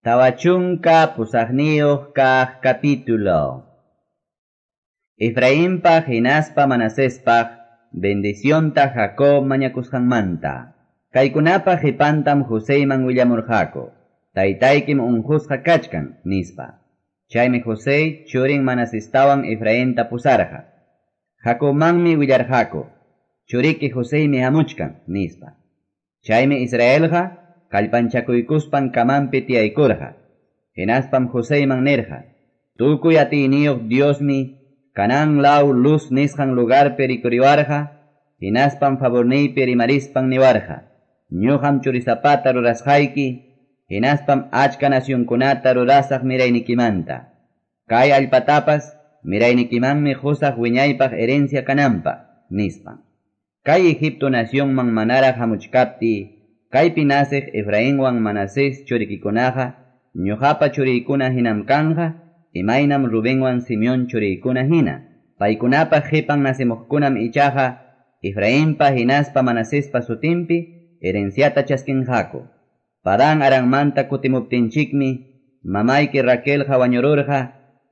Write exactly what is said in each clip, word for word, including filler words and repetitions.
Tawa chunka pusaqniyuq kaq capítulo. Efrainpaq hinaspa Manasespaq bendicionta Jacob mañakusqanmanta. Kaykunapa qipantam Joseyman willamurqaku. Taytaykim unqusqa kachkan, nispa. Chaymi José churin Manasestawan Efrainta pusarqa. Jacobmanmi willarqaku. Churiki Joseymi hamuchkan, nispa. Chaymi Israelqa kallpanchakuykuspan kamanpi tiyaykurqa. Hinaspam Joseyman nirqa. Tukuy atiyniyuq Diosmi Canaán law Luz nisqan lugarpi rikuriwarqa, hinaspam favorniypi rimarispan niwarqa. Ñuqam churisapata rurasqayki, hinaspam achka nacionkunata rurasaq miraynikimanta. Kay allpatapas miraynikimanmi qusaq wiñaypaq herencia kananpaq, nispan. Kay Egipto nacionman manaraq hamuchkaptiy, kaypi naciq Efrainwan Manasés churikikunaqa, ñuqapa churiykuna hinam kanqa, imaynam Rubenwan Simeón churiykuna hina. Paykunapa qipan nacimuqkunam ichaqa Efrainpa hinaspa Manasespa sutinpi herenciata chaskinqaku. Padán Aranmanta kutimuptinchikmi, mamayki Raquelqa wañururqa,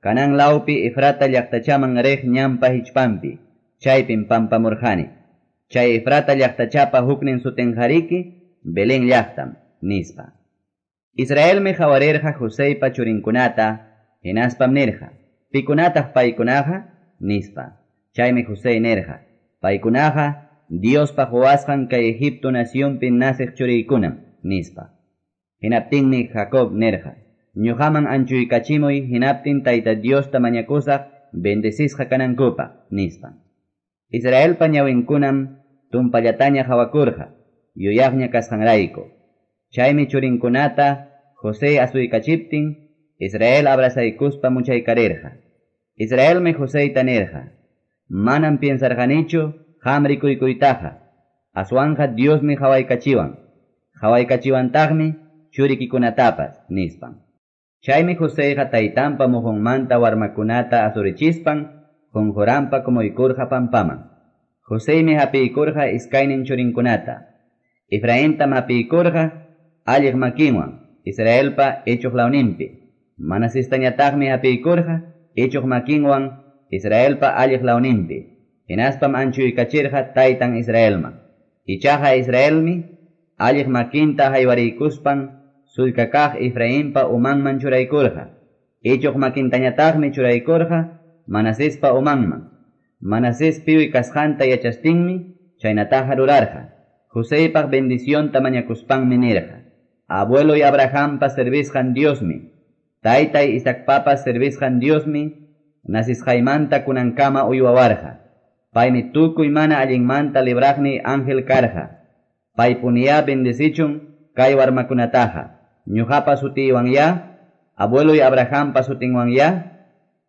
Canaán lawpi Efrata llaqtachaman riq ñanpa hichpanpi, chaypim pampamurqani. Chay Efrata llaqtachapa huknin sutinqariki, Belén llaqtam, nispa. Israelmi qawarirqa Joseypa churinkunata, hinaspam nirqa, pikunataq paykunaqa, nispa. Chaymi José nirqa, paykunaqa Diospa quwasqan kay Egipto nacionpi naciq churiykunam, nispa. Hinaptinmi Jacob nirqa, ñuqaman anchuykachimuy hinaptin Tayta Diosta mañakusaq bendecisqa kanankupaq, nispa. Israelpa ñawinkunam tumpallataña qawakurqa, yuyaqña kasqanrayku. Chaymi churinkunata José asuykachiptin, Israel abrazaykuspa muchaykarirqa. Israelmi Joseyta nirqa, manam piensarqanichu qam rikuykuytaqa, aswanqa Diosmi qawaykachiwan, qawaykachiwantaqmi churikikunatapas, nispan. Chaymi Joseyqa taytanpa muhunmanta warmakunata asurichispan, qunquranpa kumuykurqa pampaman. Joseymi hapiykurqa iskaynin churinkunata. Efraintam hapiykurqa alliq makinwan, Israelpa ichuq lawninpi. Manasestañataqmi hapiykurqa ichuq makinwan, Israelpa alliq lawninpi. Hinaspam anchuykachirqa taytan Israelman. Ichaqa Israelmi alliq makinta haywariykuspan sullka kaq Efrainpa umanman churaykurqa. Ichuq makintañataqmi churaykurqa Manasespa umanman. Manasés piwi kasqanta yachastinmi chaynataqa rurarqa. Joseypaq bendicionta mañakuspanmi nirqa. Abueloy Abrahampa servisqan Diosmi, taytay Isaacpapas servisqan Diosmi, nacisqaymanta kunankama uywawarqa. Paymi tukuy mana allinmanta libraqniy ángel karqa. Paypuniyá bendecichun kay warmakunataqa. Ñuqapa sutiywanyá, abueloy Abrahampa sutinwanyá,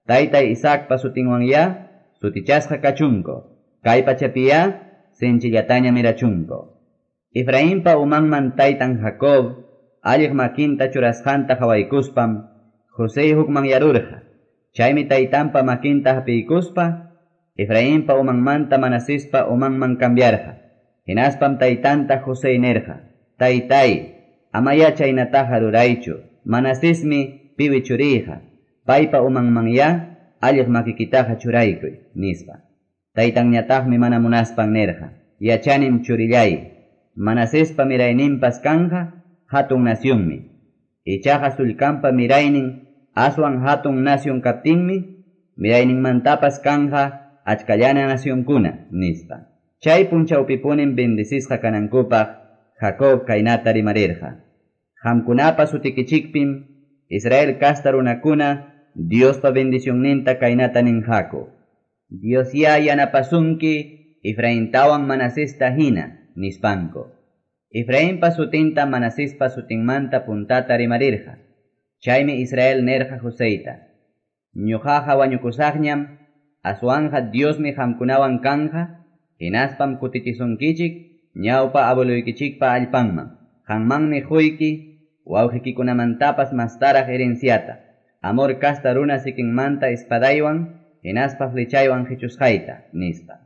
taytay Isaacpa sutinwanyá, sutichasqa kachunku. Kay pachapiyá, sinchillataña mirachunku. Efrainpa umanman taytan Jacob, alliq makinta churasqanta qawaykuspam, José hukmanyarurqa. Chaymi taytanpa makinta hapiykuspa, Efrainpa umanmanta Manasespa umanman cambiarqa. Hinaspam taytanta José nirqa, taytay, amayá chaynataqa ruraychu, Manasesmi piwi churiyqa, paypa umanmanyá alliq makikitaqa churaykuy, nispa. Taytanñataqmi mana munaspan nirqa, yachanim churillay, Manasespa mirayninpas kanja hatun nacionmi. Ichaqa sullkanpa miraynin aswan hatun nación kaptinmi, mirayninmantapas kanja achkallana nacionkuna, nispa. Chay punchawpipunim bendecisqa kanankupaq Jacob kaynata rimarirqa. Qamkunapa sutikichikpim Israel kasta runakuna Diospa bendicionninta kaynata ninqaku. Diosyá yanapasunki Efraintawan Manasesta hina, nispanku. Efrainpa sutinta Manasespa sutinmanta puntata rimarirqa. Chaymi Israel nirqa Joseyta. Ñuqaqa wañukusaqñam, aswanqa Diosmi qamkunawan kanja, hinaspam kutichisunkichik ñawpa abueluykichikpa allpanman. Qanmanmi quyki wawqikikunamantapas mastaraq herenciata. Amor kasta runa sikinmanta espadaywan, hinaspa flechaywan qichusqayta, nispa.